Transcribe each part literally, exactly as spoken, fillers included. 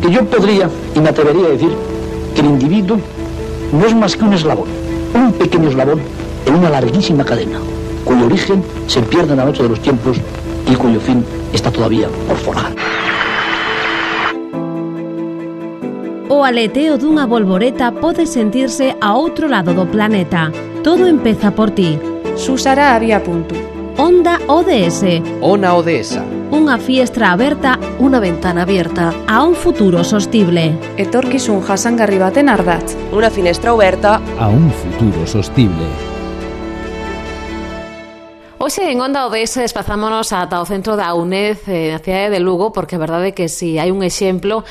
Porque yo podría y me atrevería a decir que el individuo no es más que un eslabón, un pequeño eslabón en una larguísima cadena, cuyo origen se pierde en la noche de los tiempos y cuyo fin está todavía por forjar. O aleteo dunha bolboreta pode sentirse a outro lado do planeta. Todo empeza por ti. Susara Avia Puntu. Onda O D S. Ona Odesa. Unha fiestra aberta, unha ventana abierta a un futuro sostible. Etorkizun jasangarri baten ardatz. Unha finestra aberta a un futuro sostible. Hoxe en Onda O D S desplazámonos ata o centro da UNED na cidade de Lugo, porque a verdade é que si hai un exemplo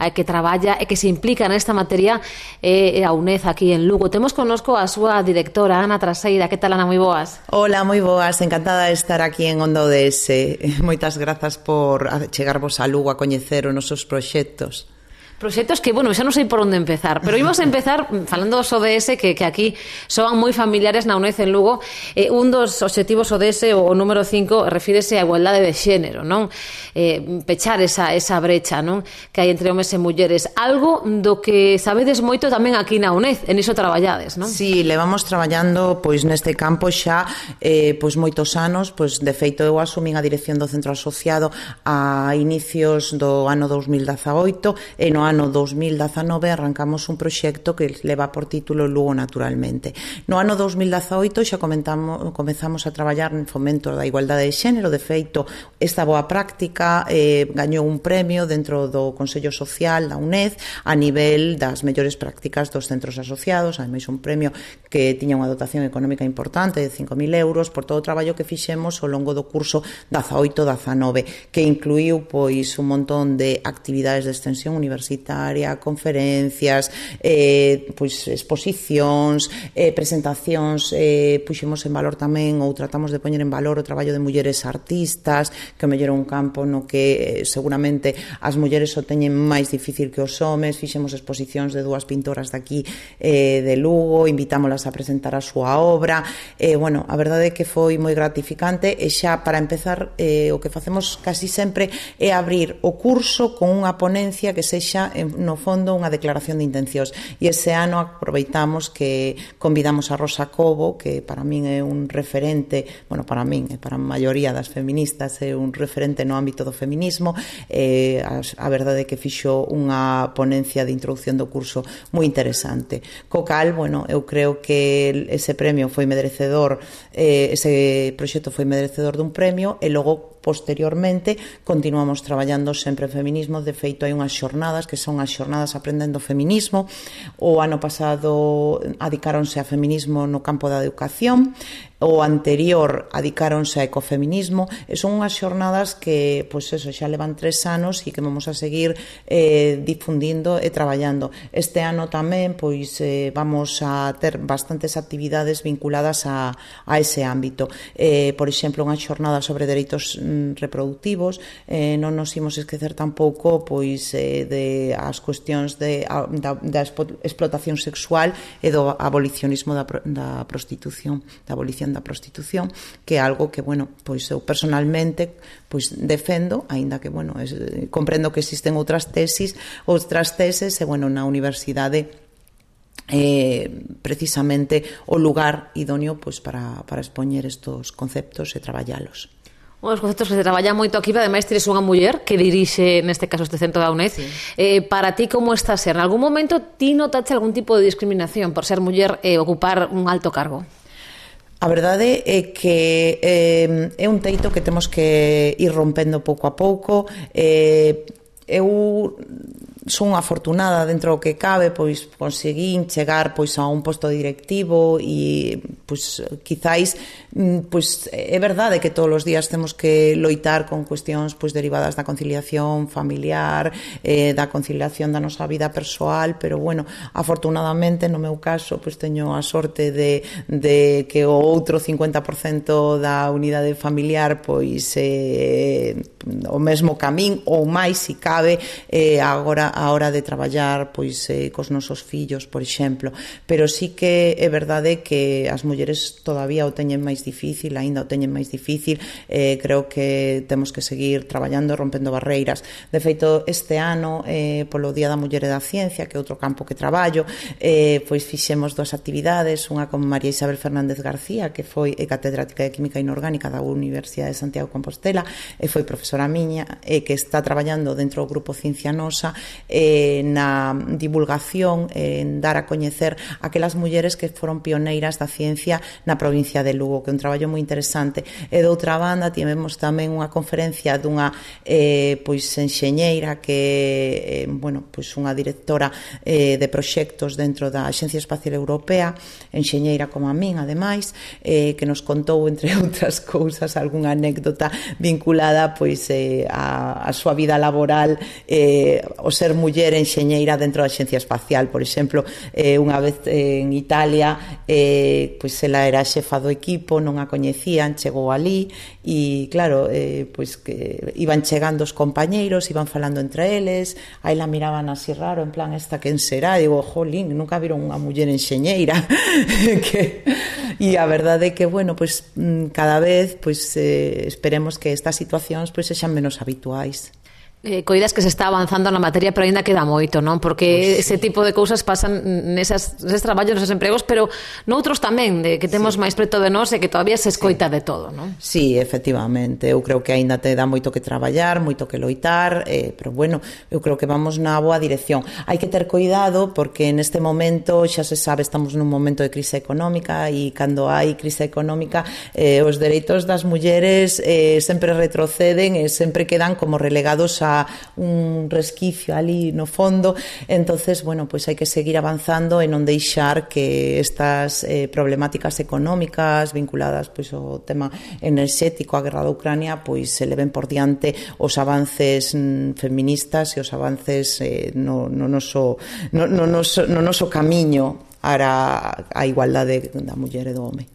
que traballa e que se implica nesta materia é a UNED aquí en Lugo. Temos connosco a súa directora, Ana Traseira. Que tal, Ana? Moi boas. Hola, moi boas. Encantada de estar aquí en Onda O D S. Moitas grazas por chegarvos a Lugo a coñecer os nosos proxectos. Proxectos que, bueno, xa non sei por onde empezar, pero imos a empezar falando dos O D S que, que aquí son moi familiares na UNED en Lugo. Eh, un dos obxectivos O D S, o, o número cinco, refírese á igualdade de xénero, non? Eh, pechar esa, esa brecha, non? Que hai entre homes e mulleres. Algo do que sabedes moito tamén aquí na UNED, en iso traballades, non? Sí, levamos traballando pois neste campo xa eh, pois moitos anos, pois de feito eu asumín a dirección do centro asociado a inicios do ano dos mil dezaoito e no ano dos mil dezanove arrancamos un proxecto que leva por título Lugo Naturalmente. No ano dos mil dezaoito xa comentamos, comezamos a traballar en fomento da igualdade de xénero. De feito, esta boa práctica eh, gañou un premio dentro do Consello Social da UNED a nivel das mellores prácticas dos centros asociados. Ademais, un premio que tiña unha dotación económica importante de cinco mil euros por todo o traballo que fixemos ao longo do curso dezaoito dezanove, que incluíu pois un montón de actividades de extensión universitaria, conferencias, eh, pois exposicións, eh, presentacións, eh, puxemos en valor tamén ou tratamos de poñer en valor o traballo de mulleres artistas, que o mellor é un campo no que eh, seguramente as mulleres o teñen máis difícil que os homes. Fixemos exposicións de dúas pintoras de aquí eh, de Lugo, invitámolas a presentar a súa obra. Eh, bueno, a verdade é que foi moi gratificante e xa para empezar eh, o que facemos casi sempre é abrir o curso con unha ponencia que sexa no fondo unha declaración de intencións, e ese ano aproveitamos que convidamos a Rosa Cobo, que para min é un referente, bueno, para min e para a maioría das feministas é un referente no ámbito do feminismo. eh, a, a verdade é que fixo unha ponencia de introducción do curso moi interesante, co cal, bueno, eu creo que ese premio foi merecedor, eh, ese proxecto foi merecedor dun premio, e logo posteriormente continuamos traballando sempre en feminismo. De feito, hai unhas xornadas que son as xornadas Aprendendo Feminismo. O ano pasado adicáronse a feminismo no campo da educación, o anterior adicáronse a ecofeminismo, e son unhas xornadas que, pois eso, xa levan tres anos e que vamos a seguir eh, difundindo e traballando. Este ano tamén, pois, eh, vamos a ter bastantes actividades vinculadas a, a ese ámbito. Eh, por exemplo, unha xornada sobre dereitos mm, reproductivos, eh, non nos imos esquecer tampouco, pois, eh, de as cuestións de, a, da, da explotación sexual e do abolicionismo da, da prostitución, da abolición da prostitución, que é algo que, bueno, pois eu personalmente pois defendo, aínda que, bueno, es, comprendo que existen outras tesis, outras teses, e, bueno, na universidade eh, precisamente o lugar idóneo pois para, para expoñer estos conceptos e traballalos. Os conceptos que se traballan moito aquí, ademais tires unha muller que dirixe, neste caso, este centro da UNED. Sí. Eh, para ti, como está a ser? En algún momento ti notaste algún tipo de discriminación por ser muller e eh, ocupar un alto cargo? A verdade é que eh, é un teito que temos que ir rompendo pouco a pouco. Eh, eu son afortunada dentro do que cabe, pois conseguín chegar pois a un posto directivo e pois quizáis pois é verdade que todos os días temos que loitar con cuestións pois derivadas da conciliación familiar, eh, da conciliación da nosa vida persoal, pero bueno, afortunadamente no meu caso pois teño a sorte de, de que o outro cincuenta por cento da unidade familiar pois eh, o mesmo camín ou máis se cabe. Eh, agora a hora de traballar pois eh, cos nosos fillos, por exemplo, pero sí que é verdade que as mulleres todavía o teñen máis difícil, aínda o teñen máis difícil, eh, creo que temos que seguir traballando, rompendo barreiras. De feito, este ano, eh, polo Día da Muller e da Ciencia, que é outro campo que traballo, eh, pois fixemos dúas actividades, unha con María Isabel Fernández García, que foi catedrática de Química Inorgánica da Universidade de Santiago de Compostela, e foi profesora miña, e que está traballando dentro do grupo Ciencia Nosa eh, na divulgación, en dar a coñecer aquelas mulleres que foron pioneiras da ciencia na provincia de Lugo, que é un traballo moi interesante. E de outra banda, tivemos tamén unha conferencia dunha eh, pois enxeñeira que, eh, bueno, pois unha directora eh, de proxectos dentro da Axencia Espacial Europea, enxeñeira como a min, ademais, eh, que nos contou, entre outras cousas, algunha anécdota vinculada pois eh, a, a súa vida laboral, eh, o ser muller enxeñeira dentro da Axencia Espacial. Por exemplo, eh, unha vez eh, en Italia, eh, pois ela era xefa do equipo, non a coñecían, chegou ali e, claro, eh, pois que iban chegando os compañeiros, iban falando entre eles, aí la miraban así raro, en plan, esta quen será? E digo, jolín, nunca viron unha muller enxeñeira. que... E a verdade é que, bueno, pois cada vez pois eh, esperemos que estas situacións pois sexan menos habituais. Eh, coidas que se está avanzando na materia, pero ainda queda moito, non? Porque pues, ese sí. tipo de cousas pasan nesas, neses traballos, neses empregos, pero noutros tamén, de que temos sí. máis preto de nós e que todavía se escoita sí. de todo, non? Sí, efectivamente, eu creo que aínda te dá moito que traballar, moito que loitar, eh, pero bueno, eu creo que vamos na boa dirección. Hai que ter cuidado porque neste momento, xa se sabe, estamos nun momento de crise económica e cando hai crise económica eh, os dereitos das mulleres eh, sempre retroceden e sempre quedan como relegados a un resquicio ali no fondo. Entonces, bueno, pois hai que seguir avanzando e non deixar que estas eh, problemáticas económicas vinculadas pois ao tema enerxético, a guerra da Ucrania, pois se leven por diante os avances mm, feministas e os avances eh, no, no, noso, no, no, noso, no noso camiño ara a igualdade da muller e do home.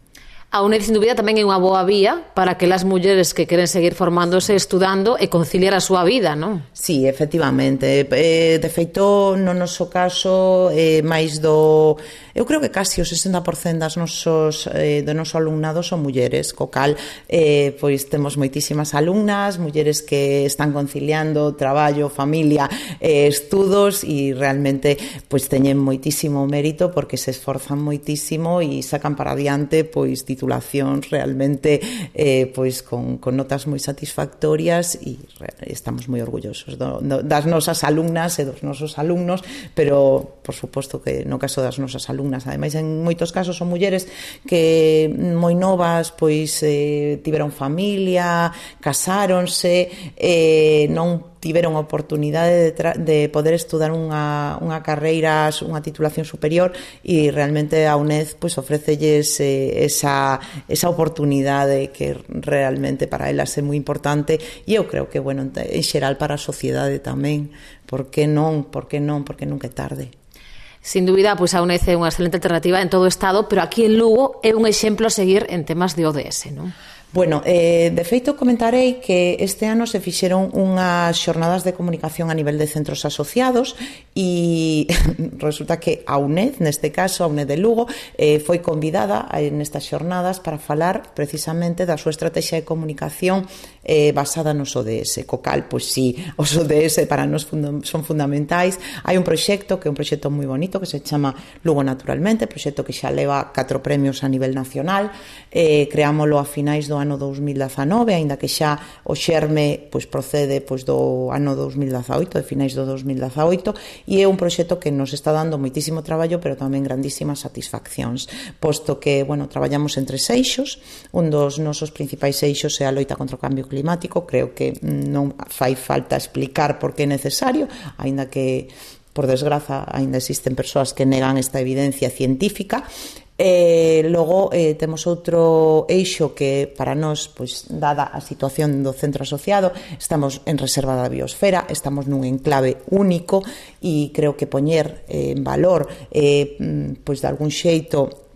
A UNED, sin dúbida, tamén é unha boa vía para que as mulleres que queren seguir formándose, estudando e conciliar a súa vida, non? Sí, efectivamente. Eh, de feito, no noso caso, eh, máis do... Eu creo que casi o sesenta por cento das nosos, eh, do noso alumnado son mulleres, co cal, eh, pois temos moitísimas alumnas, mulleres que están conciliando traballo, familia, eh, estudos, e realmente pois teñen moitísimo mérito porque se esforzan moitísimo e sacan para adiante pois titulacións realmente eh, pois con, con notas moi satisfactorias, e estamos moi orgullosos do, do, das nosas alumnas e dos nosos alumnos, pero por suposto que no caso das nosas alumnas, ademais en moitos casos son mulleres que moi novas pois eh, tiveron familia, casáronse, eh, non tiveron oportunidade de, de poder estudar unha, unha carreira, unha titulación superior, e realmente a UNED pois ofrécelles eh, esa, esa oportunidade que realmente para elas é moi importante, e eu creo que, bueno, en xeral para a sociedade tamén. Por que non? Por que non? Porque nunca é tarde. Sin dúbida, pois a UNED é unha excelente alternativa en todo o Estado, pero aquí en Lugo é un exemplo a seguir en temas de O D S, non? Bueno, eh, de feito comentarei que este ano se fixeron unhas xornadas de comunicación a nivel de centros asociados, e resulta que a UNED, neste caso a UNED de Lugo, eh, foi convidada nestas xornadas para falar precisamente da súa estrategia de comunicación eh, basada nos O D S, co cal, pois sí, os O D S para nós funda- son fundamentais. Hai un proxecto que é un proxecto moi bonito que se chama Lugo Naturalmente, proxecto que xa leva catro premios a nivel nacional, eh, creámolo a finais do ano dous mil dezanove, aínda que xa o xerme pois procede pois do ano dous mil dezaoito, de finais do dous mil dezaoito, e é un proxecto que nos está dando moitísimo traballo, pero tamén grandísimas satisfaccións, posto que, bueno, traballamos en tres eixos. Un dos nosos principais eixos é a loita contra o cambio climático. Creo que non fai falta explicar por que é necesario, aínda que, por desgraza, aínda existen persoas que negan esta evidencia científica. Eh, logo eh, temos outro eixo que para nós, pois, dada a situación do centro asociado, estamos en reserva da biosfera, estamos nun enclave único, e creo que poñer eh, en valor eh, pois de algún xeito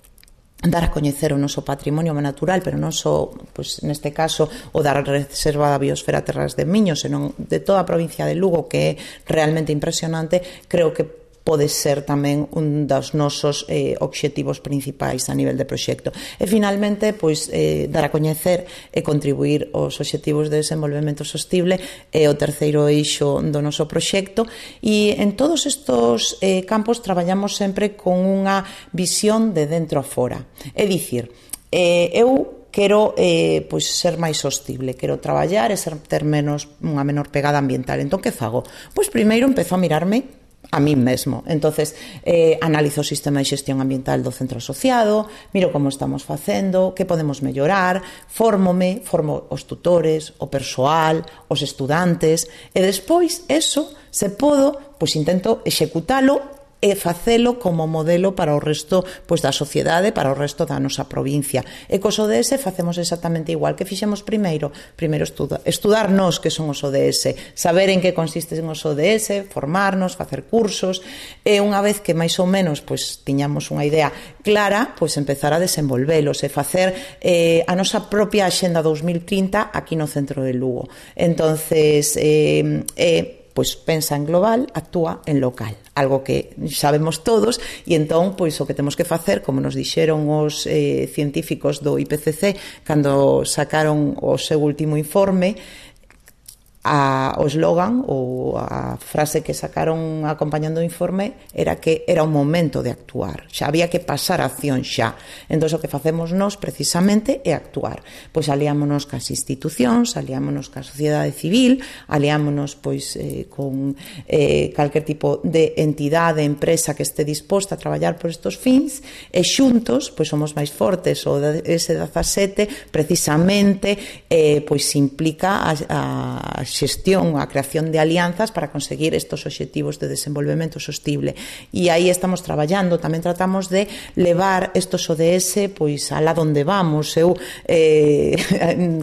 dar a coñecer o noso patrimonio natural, pero non só, pois, neste caso, o da Reserva da Biosfera Terras de Miño, senón de toda a provincia de Lugo, que é realmente impresionante. Creo que pode ser tamén un dos nosos eh, obxectivos principais a nivel de proxecto. E finalmente, pois, eh, dar a coñecer e contribuir aos obxectivos de desenvolvemento sostible é o terceiro eixo do noso proxecto, e en todos estos eh, campos traballamos sempre con unha visión de dentro a fora. É dicir, eh, eu quero eh, pois, ser máis sostible, quero traballar e ser, ter menos, unha menor pegada ambiental. Entón, que fago? Pois primeiro empezo a mirarme a mí mesmo. Entonces, eh, analizo o sistema de xestión ambiental do centro asociado, miro como estamos facendo, que podemos mellorar, fórmome, formo os tutores, o persoal, os estudantes, e despois, eso, se podo, pois intento executalo e facelo como modelo para o resto, pois, da sociedade, para o resto da nosa provincia. E cos O D S facemos exactamente igual. Que fixemos primeiro? Primeiro estuda, estudar nós que son os O D S, saber en que consisten os O D S, formarnos, facer cursos, e unha vez que máis ou menos pois, tiñamos unha idea clara, pois empezar a desenvolvelos e facer eh, a nosa propia Axenda dos mil trinta aquí no centro de Lugo. Entonces, eh, eh, pois pensa en global, actúa en local, algo que sabemos todos, e entón, pois o que temos que facer, como nos dixeron os eh, científicos do I P C C cando sacaron o seu último informe, a, o eslogan ou a frase que sacaron acompañando o informe era que era o momento de actuar, xa había que pasar a acción xa. Entón, o que facemos nós precisamente é actuar. Pois aliámonos cas institucións, aliámonos ca sociedade civil, aliámonos pois eh, con eh, calquer tipo de entidade, empresa que este disposta a traballar por estos fins, e xuntos pois somos máis fortes. O ese dezasete precisamente eh, pois implica a, a xestión, a creación de alianzas para conseguir estos obxectivos de desenvolvemento sostible. E aí estamos traballando, tamén tratamos de levar estos O D S pois alá donde vamos. Eu eh,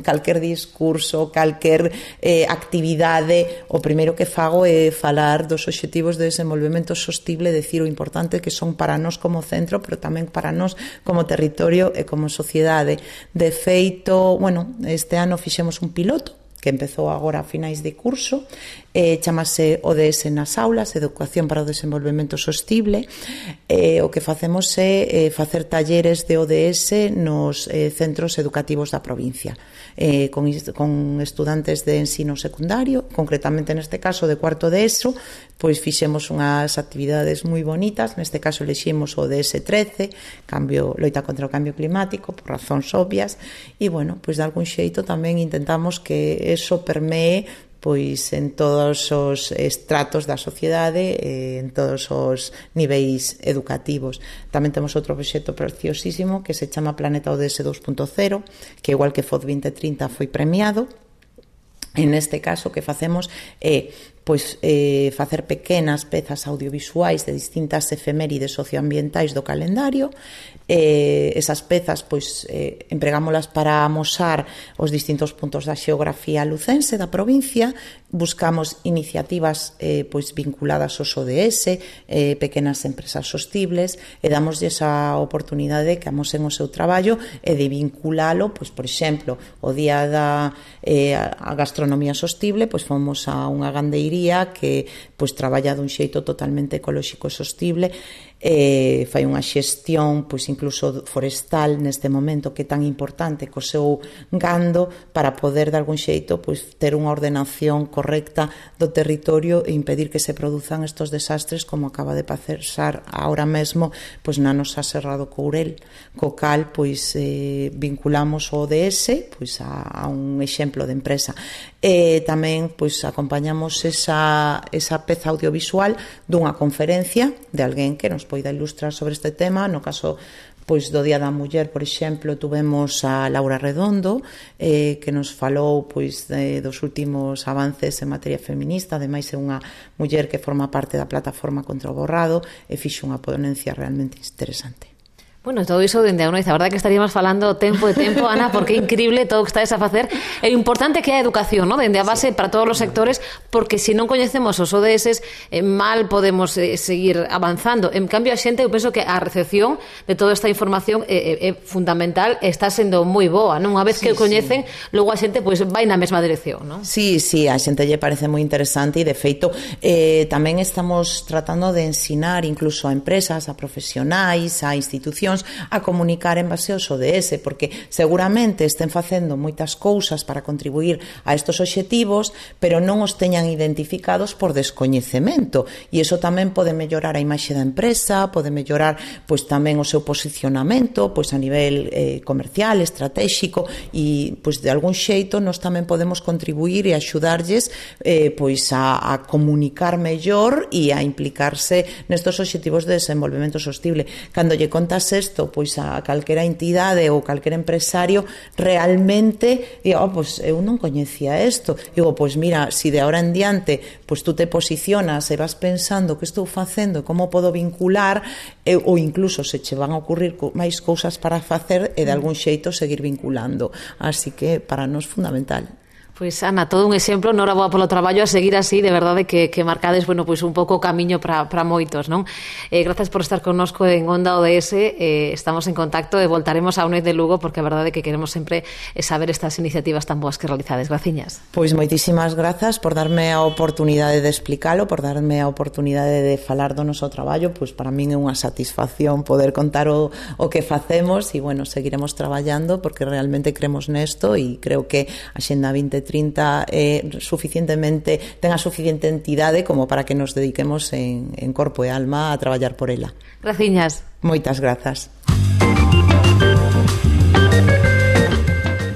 calquer discurso, calquer eh, actividade, o primeiro que fago é falar dos obxectivos de desenvolvemento sostible, decir o importante que son para nós como centro, pero tamén para nós como territorio e como sociedade. De feito, bueno, este ano fixemos un piloto que empezou agora a finais de curso, eh, chamase O D S nas aulas, Educación para o Desenvolvemento Sostible. Eh, o que facemos é eh, facer talleres de O D S nos eh, centros educativos da provincia, eh, con, con estudantes de ensino secundario, concretamente neste caso de cuarto de ESO, pois fixemos unhas actividades moi bonitas. Neste caso eleximos o D S trece, cambio, loita contra o cambio climático, por razóns obvias, e, bueno, pois de algún xeito tamén intentamos que eso permee pois en todos os estratos da sociedade, eh, en todos os niveis educativos. Tamén temos outro proxecto preciosísimo que se chama Planeta O D S dos punto cero, que igual que F O D vinte trinta foi premiado. En este caso, o que facemos é pois eh, facer pequenas pezas audiovisuais de distintas efemérides socioambientais do calendario. Eh, esas pezas pois eh, empregámolas para amosar os distintos puntos da xeografía lucense da provincia. Buscamos iniciativas eh, pois vinculadas aos O D S, eh, pequenas empresas sostibles, e damoslle esa oportunidade que amosen o seu traballo e de vinculalo, pois por exemplo, o día da eh, a gastronomía sostible, pois fomos a unha gandeiría que pois traballa dun xeito totalmente ecolóxico e sostible, eh, fai unha xestión pois incluso forestal neste momento que é tan importante co seu gando para poder de algún xeito pois ter unha ordenación correcta do territorio e impedir que se produzan estos desastres como acaba de pasar ahora mesmo pois na nosa Serra do Courel, co cal pois eh, vinculamos o O D S pois a, a un exemplo de empresa. E tamén pois acompañamos esa, esa peza audiovisual dunha conferencia de alguén que nos poida ilustrar sobre este tema. No caso pois do Día da Muller, por exemplo, tuvemos a Laura Redondo, eh, que nos falou pois de, dos últimos avances en materia feminista. Ademais é unha muller que forma parte da plataforma contra o borrado e fixo unha ponencia realmente interesante. Bueno, todo iso dende a Unaiz, a verdade que estaríamos falando tempo e tempo, Ana, porque é increíble todo o que estáis a facer. É importante que a educación, ¿no? Dende a base sí. para todos os sectores, porque se non coñecemos os O D S, eh, mal podemos eh, seguir avanzando. En cambio, a xente, eu penso que a recepción de toda esta información é, é, é fundamental, está sendo moi boa, non? Unha vez sí, que o coñecen, sí. logo a xente pois, vai na mesma dirección, non? Sí, sí, a xente lle parece moi interesante e, de feito, eh, tamén estamos tratando de ensinar incluso a empresas, a profesionais, a institucións, a comunicar en base aos O D S, porque seguramente estén facendo moitas cousas para contribuir a estos obxectivos, pero non os teñan identificados por descoñecemento, e iso tamén pode mellorar a imaxe da empresa, pode mellorar pois tamén o seu posicionamento pois a nivel eh, comercial, estratégico, e pois de algún xeito nós tamén podemos contribuir e axudarlles eh, pois a, a comunicar mellor e a implicarse nestos obxectivos de desenvolvemento sostible. Cando lle contas isto pois a calquera entidade ou calquera empresario, realmente digo, oh, pois eu non coñecía isto, digo, pois mira, si de ahora en diante pois tú te posicionas e vas pensando que estou facendo, como podo vincular, eh, ou incluso se che van a ocurrir máis cousas para facer e de algún xeito seguir vinculando, así que para nós fundamental. Pois, Ana, todo un exemplo, noraboa polo traballo, a seguir así, de verdade que, que marcades, bueno, pois un pouco o camiño para moitos, non? Eh, grazas por estar connosco en Onda O D S, eh, estamos en contacto e voltaremos a Unaiz de Lugo, porque a verdade que queremos sempre saber estas iniciativas tan boas que realizades. Graciñas. Pois moitísimas grazas por darme a oportunidade de explicalo, por darme a oportunidade de falar do noso traballo, pois para min é unha satisfacción poder contar o, o que facemos e, bueno, seguiremos traballando porque realmente creemos nesto e creo que a Xenda vinte trinta é suficientemente, ten a suficiente entidade como para que nos dediquemos en, en corpo e alma a traballar por ela. Graciñas. Moitas grazas.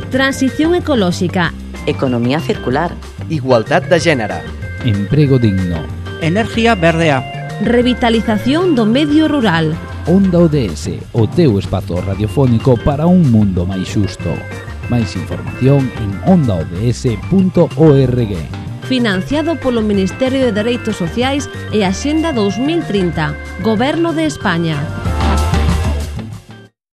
Transición ecolóxica. Economía circular. Igualdad de género. Emprego digno. Energía verdea. Revitalización do medio rural. Onda O D S, o teu espazo radiofónico para un mundo máis xusto. Máis información en onda o d s punto org. Financiado polo Ministerio de Dereitos Sociais e Axenda dos mil trinta, Goberno de España.